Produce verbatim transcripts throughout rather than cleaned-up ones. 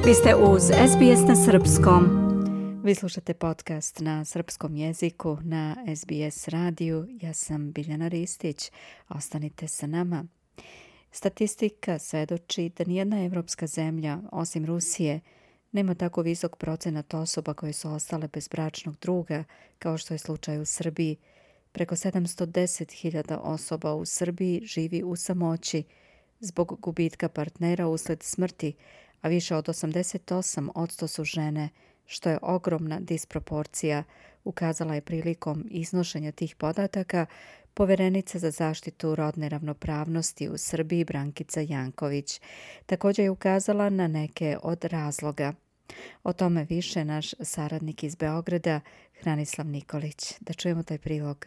Vi ste uz S B S na srpskom. Vi slušate podcast na srpskom jeziku na S B S radiju. Ja sam Biljana Ristić. Ostanite sa nama. Statistika svedoči da nijedna evropska zemlja, osim Rusije, nema tako visok procenat osoba koje su ostale bez bračnog druga, kao što je slučaj u Srbiji. Preko sedamsto deset hiljada osoba u Srbiji živi u samoći zbog gubitka partnera usled smrti, a više od osamdeset osam posto su žene, što je ogromna disproporcija, ukazala je prilikom iznošenja tih podataka poverenica za zaštitu rodne ravnopravnosti u Srbiji Brankica Janković. Također je ukazala na neke od razloga. O tome više naš saradnik iz Beograda, Hranislav Nikolić. Da čujemo taj prilog.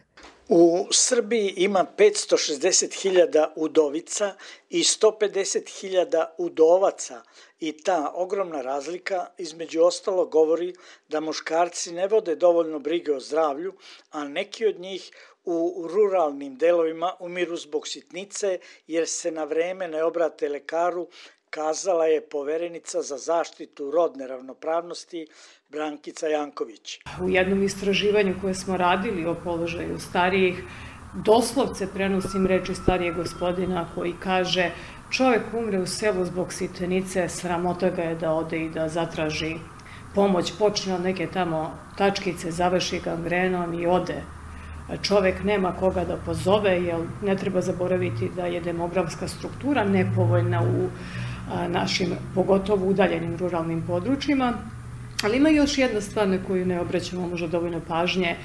U Srbiji ima petsto šezdeset hiljada udovica i sto pedeset hiljada udovaca i ta ogromna razlika između ostalo govori da muškarci ne vode dovoljno brige o zdravlju, a neki od njih u ruralnim delovima umiru zbog sitnice jer se na vreme ne obrate lekaru, kazala je poverenica za zaštitu rodne ravnopravnosti Brankica Janković. U jednom istraživanju koje smo radili o položaju starijih, doslovce prenosim reči starijeg gospodina koji kaže: čovjek umre u selu zbog sitnice, sramota ga je da ode i da zatraži pomoć, počne od neke tamo tačkice, završi gangrenom i ode. Čovjek nema koga da pozove, jer ne treba zaboraviti da je demografska struktura nepovoljna u našim, pogotovo udaljenim ruralnim područjima. Ali ima još jedna stvar na koju ne obraćamo možda dovoljno pažnje.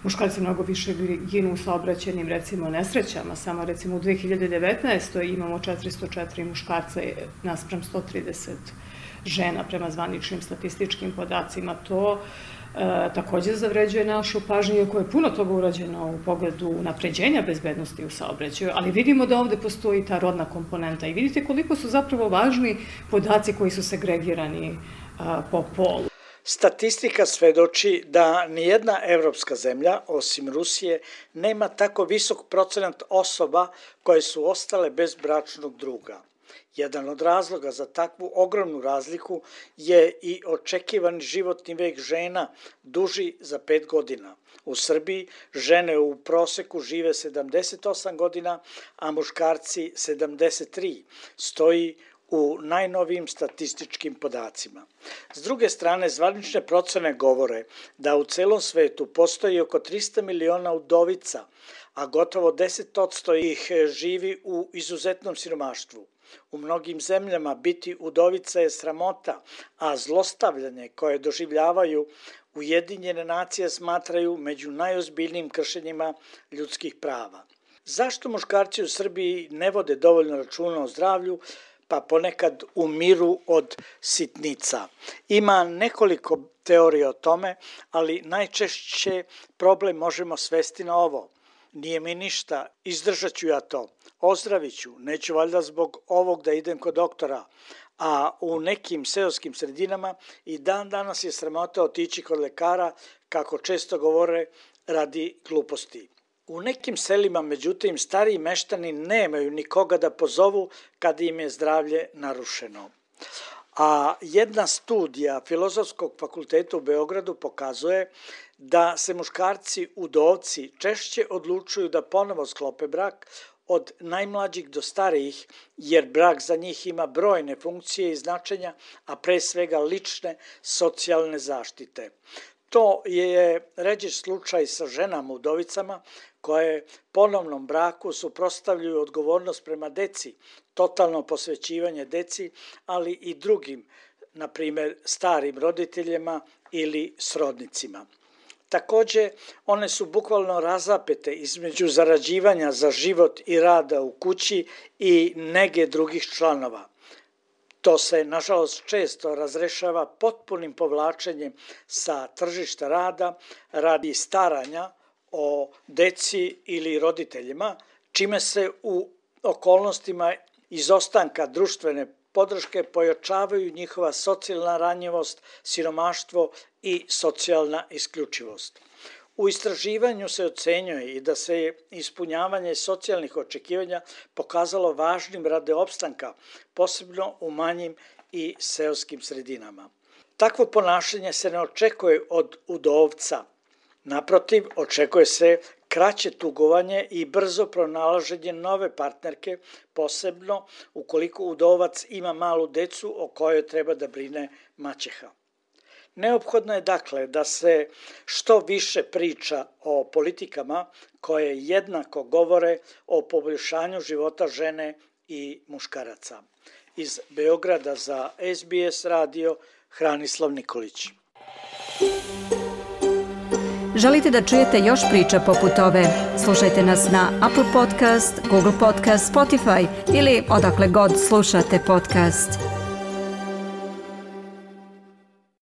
Muškarci mnogo više ginu u saobraćajnim, recimo, nesrećama. Samo, recimo, u dve hiljade devetnaestoj imamo četiristo četiri muškarca naspram sto trideset žena prema zvaničnim statističkim podacima. To e, također zavređuje našu pažnju, iako je puno toga urađeno u pogledu unapređenja bezbednosti u saobraćaju, ali vidimo da ovdje postoji ta rodna komponenta i vidite koliko su zapravo važni podaci koji su segregirani a, po polu. Statistika svedoči da nijedna evropska zemlja, osim Rusije, nema tako visok procenat osoba koje su ostale bez bračnog druga. Jedan od razloga za takvu ogromnu razliku je i očekivani životni vek žena, duži za pet godina. U Srbiji žene u proseku žive sedamdeset osam godina, a muškarci sedamdeset tri, stoji u najnovijim statističkim podacima. S druge strane, zvanične procene govore da u celom svetu postoji oko trista miliona udovica, a gotovo deset posto ih živi u izuzetnom siromaštvu. U mnogim zemljama biti udovica je sramota, a zlostavljanje koje doživljavaju Ujedinjene nacije smatraju među najozbiljnijim kršenjima ljudskih prava. Zašto muškarci u Srbiji ne vode dovoljno računa o zdravlju, pa ponekad umiru od sitnica? Ima nekoliko teorija o tome, ali najčešće problem možemo svesti na ovo. Nije mi ništa, izdržat ću ja to, ozdravit ću, neću valjda zbog ovog da idem kod doktora, a u nekim seoskim sredinama i dan danas je sramota otići kod lekara, kako često govore, radi gluposti. U nekim selima, međutim, stariji meštani nemaju nikoga da pozovu kad im je zdravlje narušeno. A jedna studija Filozofskog fakulteta u Beogradu pokazuje da se muškarci udovci češće odlučuju da ponovo sklope brak od najmlađih do starijih, jer brak za njih ima brojne funkcije i značenja, a pre svega lične socijalne zaštite. To je ređi slučaj sa ženama udovicama koje ponovnom braku suprotstavljaju odgovornost prema deci, totalno posvećivanje deci, ali i drugim, na primjer starim roditeljima ili srodnicima. Također, one su bukvalno razapete između zarađivanja za život i rada u kući i nege drugih članova. To se, nažalost, često razrešava potpunim povlačenjem sa tržišta rada radi staranja o deci ili roditeljima, čime se u okolnostima izostanka društvene podrške pojačavaju njihova socijalna ranjivost, siromaštvo i socijalna isključivost. U istraživanju se ocenjuje i da se ispunjavanje socijalnih očekivanja pokazalo važnim radi opstanka, posebno u manjim i seoskim sredinama. Takvo ponašanje se ne očekuje od udovca. Naprotiv, očekuje se kraće tugovanje i brzo pronalaženje nove partnerke, posebno ukoliko udovac ima malu decu o kojoj treba da brine maćeha. Neophodno je dakle da se što više priča o politikama koje jednako govore o poboljšanju života žene i muškaraca. Iz Beograda za S B S radio, Hranislav Nikolić. Želite da čujete još priča poput ove? Slušajte nas na Apple Podcast, Google Podcast, Spotify ili odakle god slušate podcast.